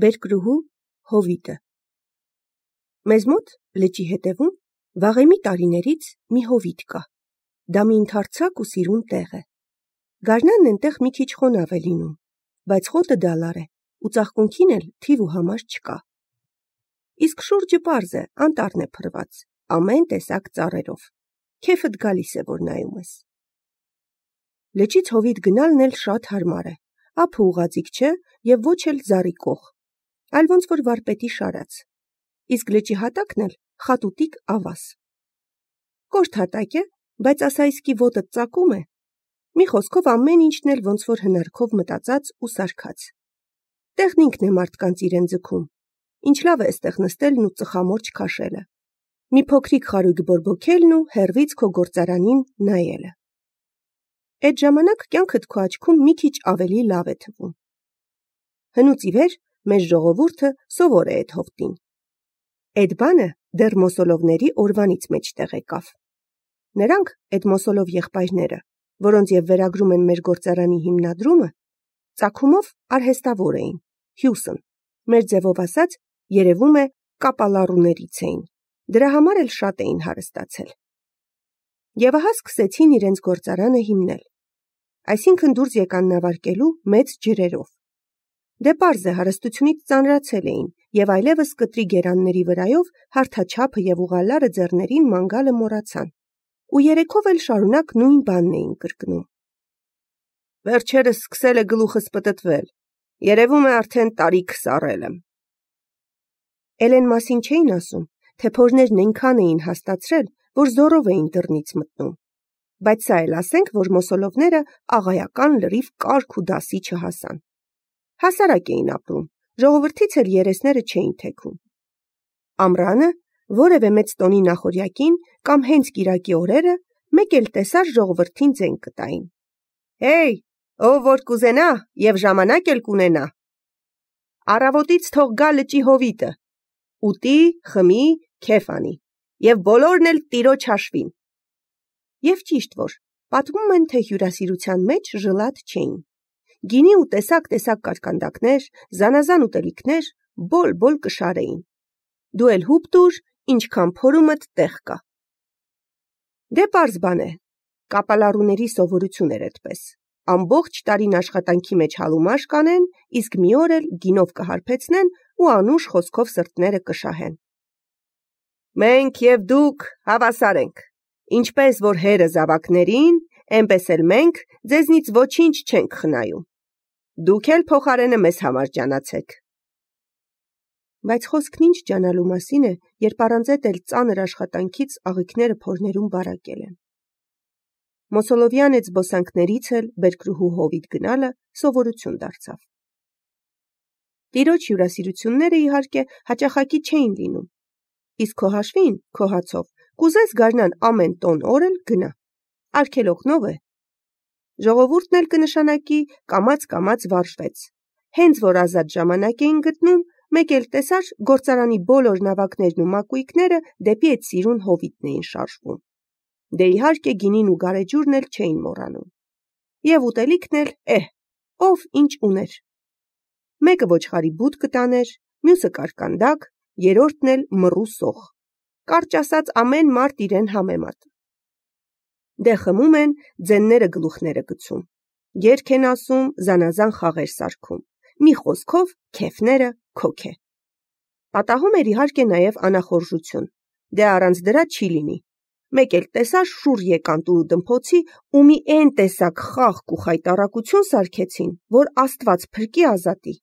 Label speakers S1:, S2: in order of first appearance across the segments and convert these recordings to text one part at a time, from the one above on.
S1: Բերկրուհու Հովիտը։ Մեզ մոտ լճի հետևում վաղեմի տարիներից մի հովիտ կա։ Դա մի ընդարձակ ու սիրուն տեղ է։ Գարնանն այնտեղ մի քիչ խոնավ է լինում, բայց խոտը դալար է ու ծաղկունքին էլ թիվ ու համար չկա։ Իսկ շուրջը պարզ է, անտառն է փռված, ամեն տեսակ ծառերով։ Քեֆդ գալիս է, որ նայում ես։ Լճից հովիտ գնալն էլ շատ հարմար է, ափը ուղղաձիգ չէ և ոչ էլ զառիկող, այլ ոնց որ վարպետի շարած, իսկ լճի հատակն էլ խատուտիկ ավազ։ Կոշտ հատակ է, բայց ասայսկի ոտդ ծակում է, մի խոսքով ամեն ինչն էլ ոնց որ հնարքով մտածած ու սարքած։ Տեղն ինքն է մարդկանց իրեն ձգում, ինչ լավ է էստեղ նստելն ու ծխամորճ քաշելը, մի փոքրիկ խարույկ բորբոքելն ու հեռվից քո գործարանին նայելը։ Այդ ժամանակ կյանքդ քո աչքում մի քիչ ավելի լավ է թվում։ Հնուց ի վեր մեր ժողովուրդը սովոր է այդ հովտին։ Այդ բանը դեռ Մոսոլովների օրվանից մեջտեղ եկավ։ Նրանք, այդ Մոսոլով եղբայրները, որոնց և վերագրում են մեր գործարանի հիմնադրումը, ծագումով արհեստավոր էին, հյուսն, մեր ձևով ասած, երևում է կապալառուներից էին, դրա համար էլ շատ էին հարստացել։ Եվ ահա սկսեցին իրենց գործարանը հիմնել, այսինքն դուրս եկան նավարկելու մեծ ջրերով։ Դե պարզ է, հարստությունից ծանրացել էին և այլևս կտրի գերանների վրայով հարթաչափը և ուղալարը ձեռներին ման գալը մոռացան ու երեքով էլ շարունակ նույն բանն էին կրկնում։ Վերջերս սկսել է գլուխս պտտվել, երևում է արդեն տարիք սառել եմ։ Էլ էն մասին չէին ասում, թե փորներն այնքան էին հաստացրել, որ զոռով էին դռնից մտնում, բայց սա էլ ասենք, որ մոսոլովները աղայական լրիվ կարգ ու դասի չհասան։ Հասարակ էին ապրում, ժողովրդից էլ երեսները չէին թեքում։ Ամռանը, որևէ մեծ տոնի նախօրյակին կամ հենց կիրակի օրերը մեկ էլ տեսար ժողովրդին ձեն կտային։ Հեյ, ով որ կուզենա և ժամանակ էլ կունենա, առավոտից թող գա լճի հովիտը, ուտի, խմի, քեֆ անի, և բոլորն էլ տիրոջ հաշվին։ Եվ ճիշտ որ, պատմում են, թե հյուրասիրության մեջ ժլատ չէին։ Գինի ու տեսակ կարկանդակներ, զանազան ուտելիքներ բոլ կշարեին։ Դու էլ հուպ տուր, ինչքան փորումդ տեղ կա։ Դե պարզ բան է, կապալառուների սովորություն էր այդպես։ Ամբողջ տարին աշխատանքի մեջ հալումաշ կանեն, իսկ մի օր էլ գինով կհարբեցնեն ու անուշ խոսքով սրտները կշահեն։ Մենք և դուք հավասար ենք, ինչպես որ հերը զավակներին, այնպես էլ մենք ձեզնից ոչինչ չենք խնայում։ Դուք էլ փոխարենը մեզ համար ջանացեք։ Բայց խոսքն ինչ ջանալու մասին է, երբ առանց էլ ծանր աշխատանքից աղիքները փորներում բարակել են։ Մոսոլովյան այդ զբոսանքներից էլ Բերկրուհու հովիտ գնալը սովորություն դարձավ։ Տիրոջ հյուրասիրությունները իհարկե հաճախակի չէին լինում, իսկ քո հաշվին, քո հացով, կուզես գարնան ամեն տոն օր էլ գնա, արգելոքնով է։ Ժողովուրդն էլ կնշանակի կամաց վարժվեց, հենց որ ազատ ժամանակ էին գտնում, մեկ էլ տեսար գործարանի բոլոր նավակներն ու մակույկները դեպի այդ սիրուն հովիտն էին շարժվում։ Դե իհարկե գինին ու գարեջուրն էլ չէին մոռանում։ Եվ ուտելիքն էլ, ով ինչ ուներ։ Մեկը ոչխարի բուտ կտաներ, մյուսը կարկանդակ, երրորդն էլ մռու սոխ։ Կարճ ասած ամեն մարդ իրեն համեմատ։ Դե խմում են, ձենները գլուխները գցում, երգ են ասում, զանազան խաղեր սարքում, մի խոսքով քեֆները քոք է։ Պատահում էր իհարկե նաև անախորժություն, դե առանց դրա չի լինի։ Մեկ էլ տեսար շուռ եկան տուրու դմփոցի ու մի էն տեսակ խաղք ու խայտառակություն սարքեցին, որ Աստված փրկի ազատի։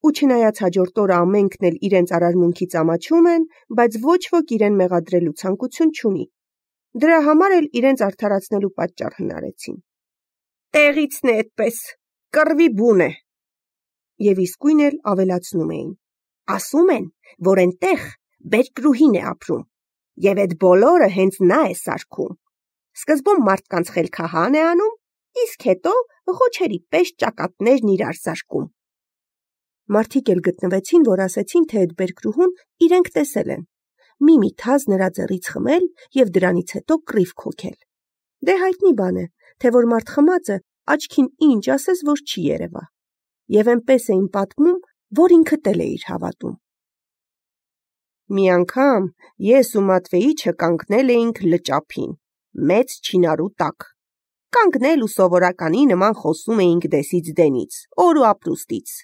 S1: Ու չնայած հաջորդ օրը ամենքն էլ իրենց արարմունքից ամաչում են, բայց ոչ ոք իրեն մեղադրելու ցանկություն չունի։ Դրա համար էլ իրենց արդարացնելու պատճառ հնարեցին։ Տեղիցն է այդպես, կռվի բուն է։ Եվ իսկույն էլ ավելացնում էին. ասում են, որ այնտեղ Բերկրուհին է ապրում, և այդ բոլորը հենց նա է սարքում։ Սկզբում մարդկանց խելքահան է անում, իսկ հետո ղոչերի պես ճակատներն իրար սարքում։ Մարդիկ էլ գտնվեցին, որ ասեցին, թե այդ Բերկրուհուն իրենք տեսել են, մի թազ նրա ձեռից խմել և դրանից հետո կռիվ քոքել։ Դե հայտնի բան է, թե որ մարդ խմածը աչքին ինչ ասես, որ չի երևա։ Եվ այնպես էին պատմում, որ ինքդ էլ էիր հավատում։ Մի անգամ ես ու Մատվեիչը կանգնել էինք լճափին, մեծ չինարու տակ։ Կանգնել ու սովորականի նման խոսում էինք դեսից դենից, օր ու ապրուստից։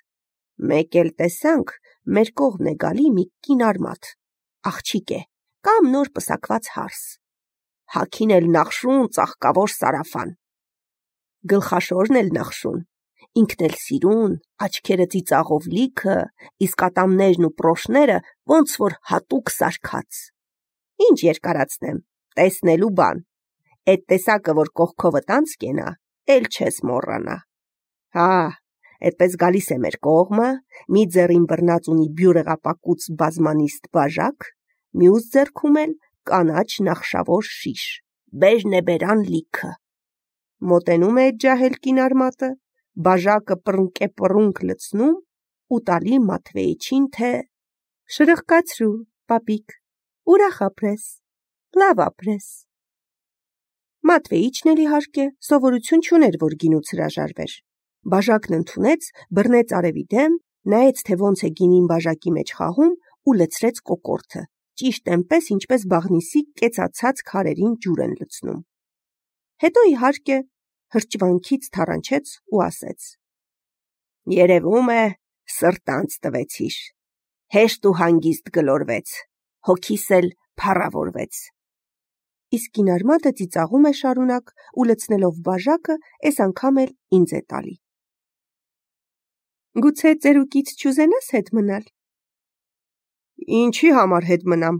S1: Մեկ էլ տեսանք, մեր կողմն է գալի մի կինարմատ, աղջիկ է, կամ նոր պսակված հարս։ Հագին էլ նախշուն ծաղկավոր սարաֆան։ Գլխաշորն էլ նախշուն, ինքն էլ սիրուն, աչքերը ծիծաղով լիքը, իսկ ատամներն ու պրոշները ոնց որ հատուկ սարքած։ Ինչ երկարացնեմ, տեսնելու բան։ Էդ տեսակը, որ կողքովդ անց կենա, էլ չես մոռանա։ Հա, այդպես գալիս է մեր կողմը, մի ձեռին բռնած ունի բյուրեղապակուց բազմանիստ բաժակ, մյուս ձեռքում էլ կանաչ նախշավոր շիշ, բերն է բերան լիքը։ Մոտենում է այդ ջահել կինարմատը, բաժակը պռունկ լցնում ու տալի Մատվեիչին, թե շրխկացրու, պապիկ, ուրախ ապրես, լավ ապրես։ Մատվեիչն էլ իհարկե սովորություն չուներ, որ գինուց հրաժարվեր։ Բաժակն ընդունեց, բռնեց արևի դեմ, նայեց, թե ոնց է գինին բաժակի մեջ խաղում ու լցրեց կոկորդը, ճիշտ այնպես, ինչպես բաղնիսի կեցացած քարերին ջուր են լցնում։ Հետո իհարկե հրճվանքից թառանչեց ու ասեց. Երևում է սրտանց տվեցիր, հեշտ ու հանգիստ գլորվեց, հոգիս էլ փառավորվեց։ Իսկ կինարմատը ծիծաղում է շարունակ ու լցնելով բաժակը, այս անգամ էլ ինձ է տալի։ Գուցե ծերուկից չուզենաս հետ մնալ։ Ինչի համար հետ մնամ,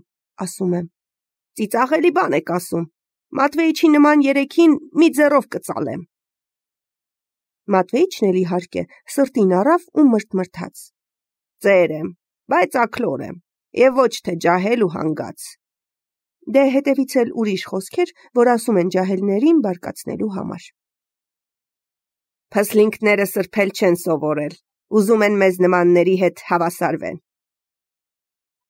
S1: ասում եմ։ Ծիծաղելի բան եք ասում։ Մատվեիչի նման երեքին մի ձեռով կծալեմ։ Մատվեիչն էլ իհարկե սրտին առավ ու մրթմրթաց։ Ծեր եմ, բայց աքլոր եմ, եւ ոչ թե ջահել ու հանգած։ Դե հետևից էլ ուրիշ խոսքեր, որ ասում են ջահելներին բարկացնելու համար։ Փսլինքները սրբել չեն սովորել, ուզում են մեզ նմանների հետ հավասարվեն։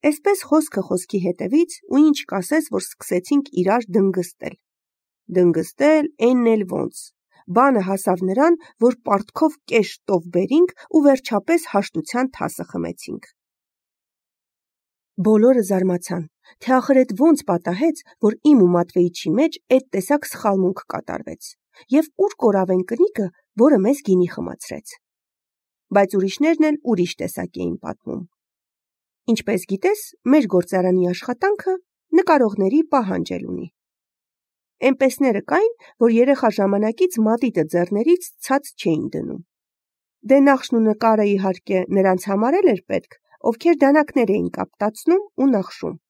S1: Այսպես խոսքը խոսքի հետևից ու ինչ կասես, որ սկսեցինք իրար դնգստել։ Դնգստել էնն էլ ոնց։ Բանը հասավ նրան, որ պարտքով կես շտով բերինք ու վերջապես հաշտության թասը խմեցինք։ Բոլորը զարմացան, թե ախր էդ ոնց պատահեց, որ իմ ու Մատվեիչի մեջ այդ տեսակ սխալմունք կատարվեց, եւ ուր կորավ են կնիկը, որը մեզ գինի խմացրեց։ Բայց ուրիշներն էլ ուրիշ տեսակ էին պատմում։ Ինչպես գիտես, մեր գործարանի աշխատանքը նկարողների պահանջել ունի։ Էնպեսները կային, որ երեխա ժամանակից մատիտը ձեռներից ցած չէին դնում։ Դե նախշն ու նկարը իհարկե նրանց համար էր պետք, ովքեր դանակներ էին կապտացնում ու նախշում։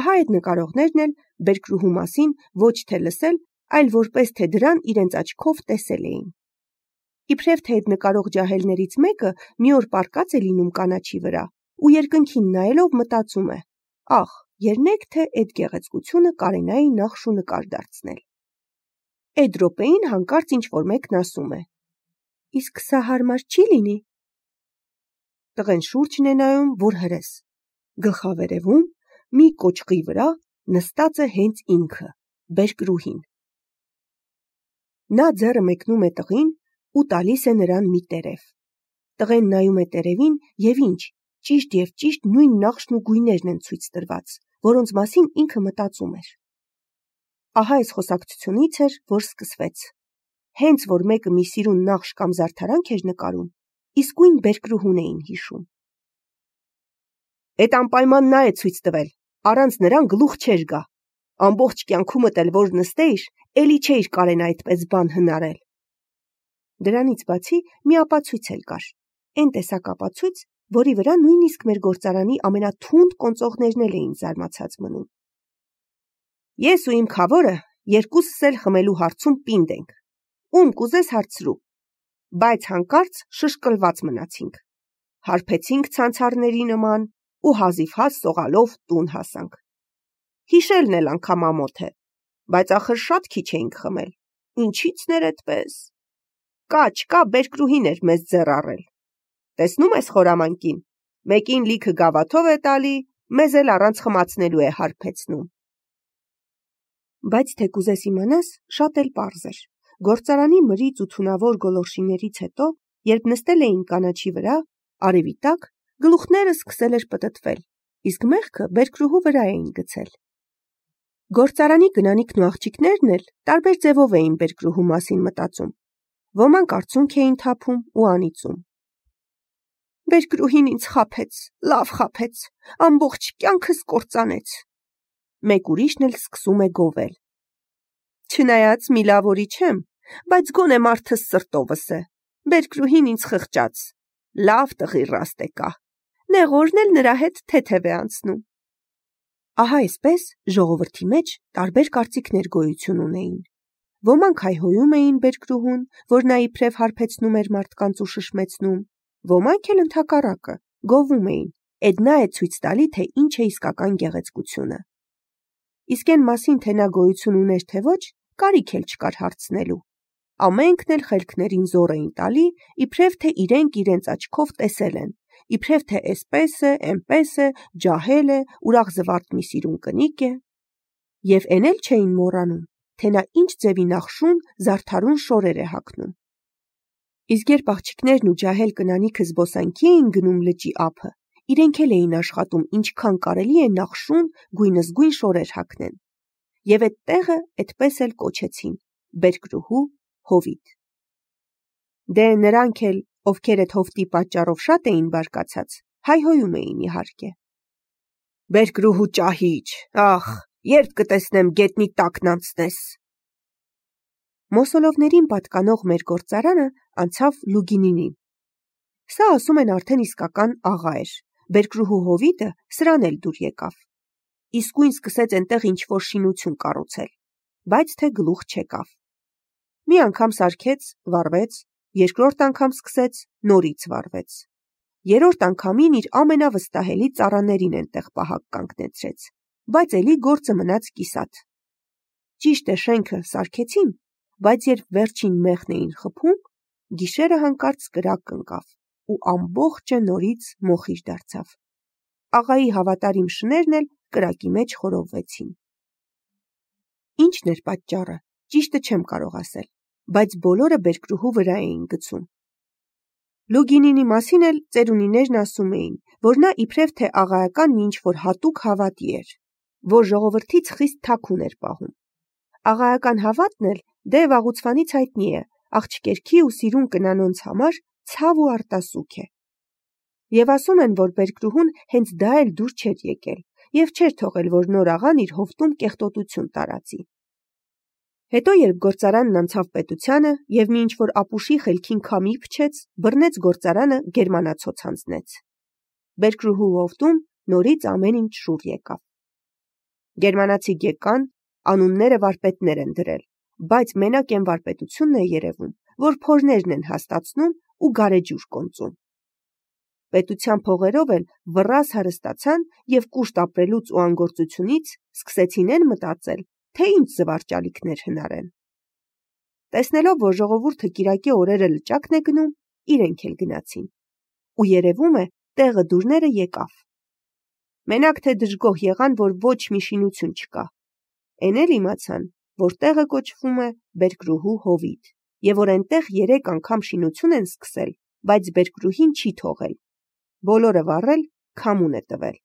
S1: Ահա այդ նկարողներն էլ բերկրուհու մասին ոչ թե լսել, այլ որպես թե դրան իրենց աչքով տեսել էին։ Իբրև թե այդ նկարող ջահելներից մեկը մի օր պառկած է լինում կանաչի վրա ու երկնքին նայելով մտածում է. ախ, երնեք թե այդ գեղեցկությունը կարենայի նախշ ու նկար դարձնել։ Այդ րոպեին հանկարծ ինչ-որ մեկն ասում է. իսկ սա հարմար չի լինի։ Տղեն շուրջն է նայում, որ հրես։ Գլխավերևում մի կոճղի վրա նստած է հենց ինքը, բերկրուհին։ Նա ձեռը մեկնում է տղին ու տալիս է նրան մի տերև։ Տղեն նայում է տերևին եւ ինչ, ճիշտ եւ ճիշտ նույն նախշն ու գույներն են ցույց տրված, որոնց մասին ինքը մտածում էր։ Ահա այս խոսակցությունից էր, որ սկսվեց։ Հենց որ մեկը մի սիրուն նախշ կամ զարդարանք էր նկարում, իսկույն բերկրուհուն էին հիշում։ Այդ անպայման նա է ցույց տվել, առանց նրան գլուխ չէր գա։ Ամբողջ կյանքումդ էլ որ նստեիր, էլի չէիր կարեն այդպես բան հնարել։ Դրանից բացի մի ապացույց էլ կար։ Այն տեսակ ապացույց, որի վրա նույնիսկ մեր գործարանի ամենաթունդ կոնծողներն էլ էին զարմացած մնում։ Ես ու իմ քավորը երկուսս էլ խմելու հարցում պինդ ենք։ Ում կուզես հարցրու։ Բայց հանկարծ շշկլված մնացինք։ Հարբեցինք ցանցարների նման ու հազիվհազ սողալով տուն հասանք։ Հիշելն էլ անգամ ամոթ է, բայց ախր շատ քիչ էինք խմել։ Ինչի՞ցն էր այդպես։ Կա բերկրուհին էր մեզ ձեռ առել։ Տեսնում ես խորամանկին, մեկին լիքը գավաթով է տալի, մեզ էլ առանց խմացնելու է հարբեցնում։ Բայց թե կուզես իմանաս, շատ էլ պարզ էր։ Գործարանի մրից ու թունավոր գոլորշիներից հետո, երբ նստել էին կանաչի վրա, Արևի տակ գլուխները սկսել էր պտտվել, իսկ մեղքը բերկրուհու վրա էին գցել։ Գործարանի գնանիքն ու աղջիկներն էլ տարբեր ձևով էին բերկրուհու մասին մտածում։ Ոմանք արցունք էին թափում ու անիծում։ Բերկրուհին ինձ խաբեց, լավ խաբեց, ամբողջ կյանքս կործանեց։ Մեկ ուրիշն էլ սկսում է գովել։ Չնայած մի լավորի չեմ, բայց գոնե մարդս սրտովս է։ Բերկրուհին ինձ խղճաց, լավ տղի ռաստ եկա, նեղորն էլ նրա հետ թեթև է անցնում։ Ահա այսպես ժողովրդի մեջ տարբեր կարծիքներ գոյություն ունեին։ Ոմանք հայհոյում էին բերկրուհուն, որ նա իբրև հարբեցնում էր մարդկանց ու շշմեցնում, ոմանք էլ ընդհակառակը գովում էին, էդ նա է ցույց տալի, թե ինչ է իսկական գեղեցկությունը։ Իսկ այն մասին, թե նա գոյություն ուներ թե ոչ, կարիք էլ չկար հարցնելու։ Ամենքն էլ խելքներին զոր էին տալի, իբրև թե իրենց աչքով տեսել են, իբրև թե էսպես է, էնպես է, ջահել է, ուրախ զվարթ մի սիրուն կնիկ է։ Եվ էն էլ չէին մոռանում, թե նա ինչ ձևի նախշուն զարդարուն շորեր է հագնում։ Իսկ երբ աղջիկներն ու ջահել կնանիքը զբոսանքի էին գնում լճի ափը, իրենք էլ էին աշխատում ինչքան կարելի է նախշուն գույնզգույն շորեր հագնեն։ Եվ այդ տեղը այդպես էլ կոչեցին բերկրուհու հովիտ։ Դե նրանք էլ, ովքեր այդ հովտի պատճառով շատ էին բարկացած, հայհոյում էին իհարկե։ Բերկրուհու ճահիճ, ախ, երբ կտեսնեմ գետնի տակն անցնես։ Մոսոլովներին պատկանող մեր գործարանը անցավ Լուգինինին։ Սա ասում են արդեն իսկական աղա էր, բերկրուհու հովիտը սրան էլ դուր եկավ։ Իսկույն սկսեց այնտեղ ինչ-որ շինություն կառուցել, բայց թե գլուխ չեկավ։ Մի անգամ սարքեց, վառվեց, երկրորդ անգամ սկսեց, նորից վառվեց։ Երրորդ անգամին իր ամենավստահելի ծառաներին այնտեղ պահակ կանգնեցրեց, բայց էլի գործը մնաց կիսատ։ Ճիշտ է շենքը սարքեցին, բայց երբ վերջին մեղն էին խփում, գիշերը հանկարծ կրակ ընկավ ու ամբողջը նորից մոխիր դարձավ։ Աղայի հավատարիմ շներն էլ կրակի մեջ խորովվեցին։ Ինչն էր պատճառը, ճիշտը չեմ կարող ասել, բայց բոլորը բերկրուհու վրա էին գցում։ Լուգինինի մասին էլ ծերունիներն ասում էին, որ նա իբրև թե աղայական մի ինչ-որ հատուկ հավատի էր, որ ժողովրդից խիստ թաքուն էր պահում։ Աղայական հավատն էլ դե վաղուցվանից հայտնի է, աղջկերքի ու սիրուն կնանոնց համար ցավ ու արտասուք է։ Եվ ասում են, որ բերկրուհուն հենց դա էլ դուր չէր եկել և չէր թողել, որ նոր աղան իր հովտում կեղտոտություն տարածի։ Հետո երբ գործարանն անցավ պետությանը և մի ինչ-որ ապուշի խելքին քամի փչեց, բռնեց գործարանը գերմանացոց հանձնեց։ Բերկրուհու հովտում նորից ամեն ինչ շուռ եկավ։ Գերմանացի գեկան, անունները վարպետներ են դրել, բայց մենակ այն վարպետությունն է երևում, որ փորներն են հաստացնում ու գարեջուր կոնծում։ Պետության փողերով էլ վռազ հարստացան և կուշտ ապրելուց ու անգործությունից սկսեցին են մտածել, թե ինչ զվարճալիքներ հնարեն։ Տեսնելով, որ ժողովուրդը կիրակի օրերը լճակն է գնում, իրենք էլ գնացին։ Ու երևում է, տեղը դուրները եկավ։ Մենակ թե դժգոհ եղան, որ ոչ մի շինություն չկա։ Էն էլ իմացան, որ տեղը կոչվում է Բերկրուհու հովիտ, և որ այնտեղ 3 անգամ շինություն են սկսել, բայց բերկրուհին չի թողել։ Բոլորը վառել, քամուն է տվել։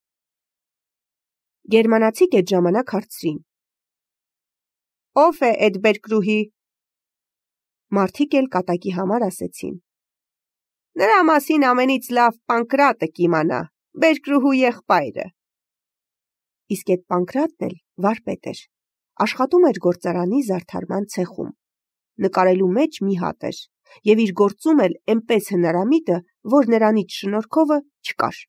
S1: Գերմանացիք այդ ժամանակ հարցրին. Ո՞վ է այդ բերկրուհի։ Մարդիկ էլ կատակի համար ասեցին. Նրա մասին ամենից լավ Պանկրատը կիմանա, բերկրուհու եղբայրը։ Իսկ այդ Պանկրատն էլ վարպետ էր, աշխատում էր գործարանի զարդարման ցեխում, նկարելու մեջ մի հատ էր, և իր գործում էլ էնպես հնարամիտը, որ նրանից շնորհքովը չկար։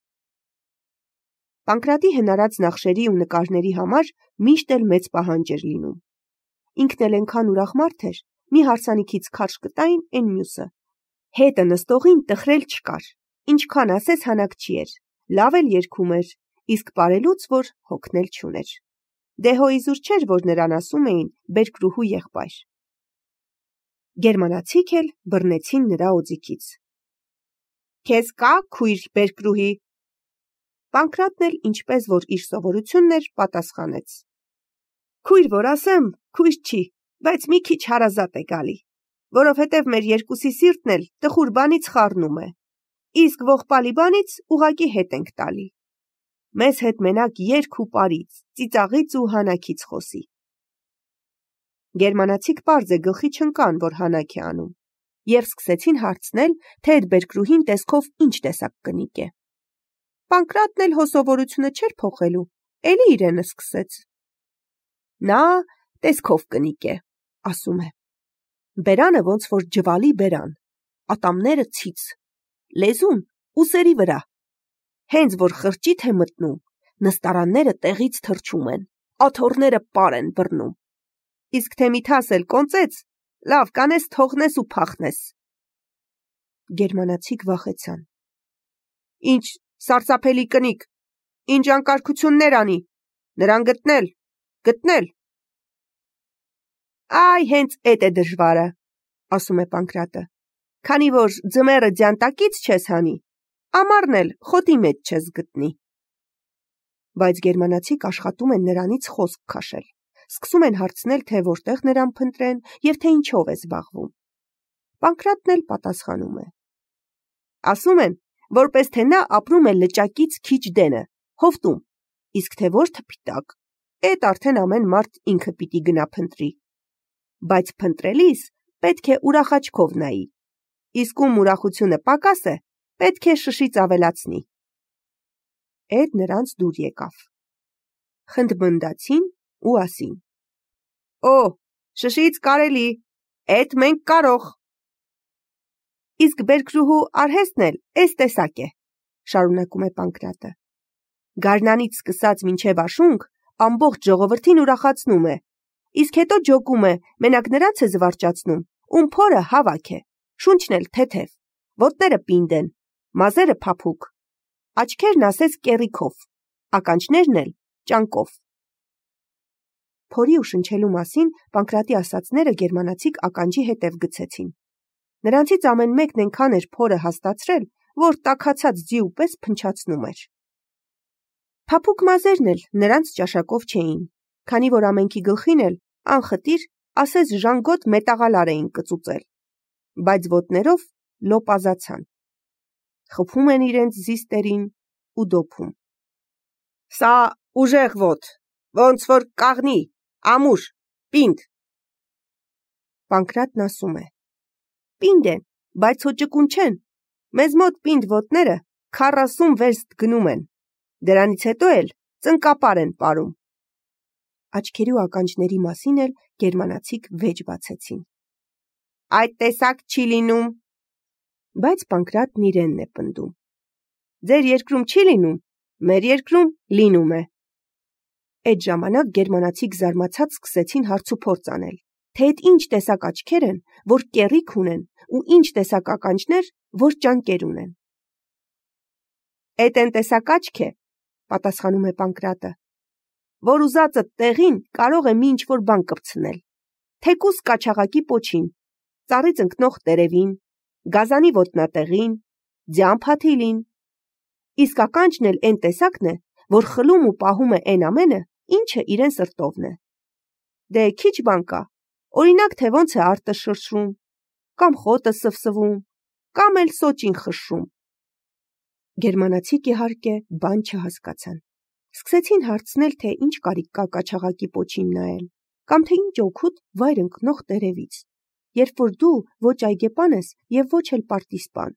S1: Պանկրատի հնարած նախշերի ու նկարների համար միշտ էլ մեծ պահանջ էր լինում։ Ինքն էլ այնքան ուրախ մարդ էր, մի հարսանիքից քարշ կտային այն մյուսը։ Հետը նստողին տխրել չկար, ինչքան ասես հանակ չի էր, լավ էլ երգում էր, իսկ պարելուց որ հոգնել չուներ։ Դե հո իզուր չէր, որ նրան ասում էին բերկրուհու եղբայր։ Գերմանացիք էլ բռնեցին նրա օձիքից։ Քեզ կա քույր բերկրուհի։ Պանկրատն էլ ինչպես որ իր սովորությունն էր, պատասխանեց. Քույր որ ասեմ, քույր չի, բայց մի քիչ հարազատ է գալի, որովհետև մեր երկուսի սիրտն էլ տխուր բանից խառնում է։ իսկ ողբալի բանից ուղակի հետ ենք տալի։ Մեզ հետ մենակ երգ ու պարից, ծիծաղից ու հանաքից խոսի։ Գերմանացիք պարզ է գլխի չընկան, որ հանաք է անում, և սկսեցին հարցնել, թե այդ բերկրուհին տեսքով ինչ տեսակ կնիկ է։ Պանկրատն էլ հոսովորությունը չէր փոխելու, էլի իրենը սկսեց։ Նա տեսքով կնիկ է, ասում է։ Բերանը ոնց որ ջվալի բերան, ատամները ցից, լեզուն ուսերի վրա։ Հենց որ խրճիթ է մտնում, նստարանները տեղից թռչում են, աթոռները պար են բռնում։ Իսկ թե միթաս էլ կոնծեց, լավ կանես թողնես ու փախնես։ Գերմանացիք վախեցան։ Ինչ սարսափելի կնիկ, ինչ անկարգություններ անի, նրան գտնել։ Այ հենց էդ է դժվարը, ասում է Պանկրատը, քանի որ ձմեռը ձյան տակից չես հանի, ամառն էլ խոտի մեջ չես գտնի։ Բայց գերմանացիք աշխատում են նրանից խոսք քաշել, սկսում են հարցնել, թե որտեղ նրան փնտրեն և թե ինչով է զբաղվում։ Պանկրատն էլ պատասխանում է. ասում են, որպես թե նա ապրում է լճակից քիչ դենը, հովտում, իսկ թե որ թփիտակ, էդ արդեն ամեն մարդ ինքը պիտի գնա փնտրի։ Բայց փնտրելիս պետք է ուրախաչքով նայի, իսկ ում ուրախությունը պակաս է, պետք է շշից ավելացնի։ Էդ նրանց դուր եկավ։ Խնդմնդացին ու ասին. Օ, շշից կարելի, էդ մենք կարող։ Իսկ բերկրուհու արհեստն էլ էս տեսակ է, շարունակում է Պանկրատը։ Գարնանից սկսած մինչև աշունք ամբողջ ժողովրդին ուրախացնում է, իսկ հետո ջոկում է, մենակ նրանց է զվարճացնում, ում փորը հավաք է, շունչն էլ թեթև, ոտները պինդ են, մազերը փափուկ, աչքերն ասես կեռիքով, ականջներն էլ ճանկով։ Փորի ու շնչելու մասին Պանկրատի ասածները գերմանացիք ականջի հետև գցեցին։ Նրանցից ամեն մեկն այնքան էր փորը հաստացրել, որ տաքացած ձիու պես փնչացնում էր։ Փափուկ մազերն էլ նրանց ճաշակով չէին, քանի որ ամենքի գլխին էլ անխտիր ասես ժանգոտ մետաղալար էին կծուծել, բայց ոտներով լոպազացան։ Խփում են իրենց զիստերին ու դոփում։ Սա ուժեղ ոտ, ոնց որ կաղնի, ամուր, պինդ։ Պանկրատն ասում է. Պինդ են, բայց հոճկուն չեն, մեզ մոտ պինդ ոտները 40 վերստ գնում են, դրանից հետո էլ ծնկապար են պարում։ Աչքերի ու ականջների մասին էլ գերմանացիք վեճ բացեցին։ Այդ տեսակ չի լինում։ Բայց Պանկրատն իրենն է պնդում։ Ձեր երկրում չի լինում, մեր երկրում լինում է։ Այդ ժամանակ գերմանացիք զարմացած սկսեցին հարցուփորձ անել, թե այդ ինչ տեսակ աչքեր են, որ կեռիք ունեն, ու ինչ տեսակ ականջներ, որ ճանկեր ունեն։ Էդ են տեսակ աչք է, պատասխանում է Պանկրատը, որ ուզածը տեղին կարող է մի ինչ-որ բան կպցնել, թեկուզ կաչաղակի պոչին, ծառից ընկնող տերևին, գազանի ոտնատեղին, ձյան փաթիլին, իսկ ականջն էլ այն տեսակն է, որ խլում ու պահում է այն ամենը, ինչը իրեն սրտովն է։ Դե քիչ բան կա, օրինակ թե ոնց է արտը շրշում, կամ խոտը սվսվում, կամ էլ սոճին խշշում։ Գերմանացիք իհարկե բան չհասկացան։ Սկսեցին հարցնել, թե ինչ կարիք կա կաչաղակի պոչին նայել, կամ թե ինչ օգուտ վայր ընկնող տերևից, երբ որ դու ոչ այգեպան ես և ոչ էլ պարտիզպան։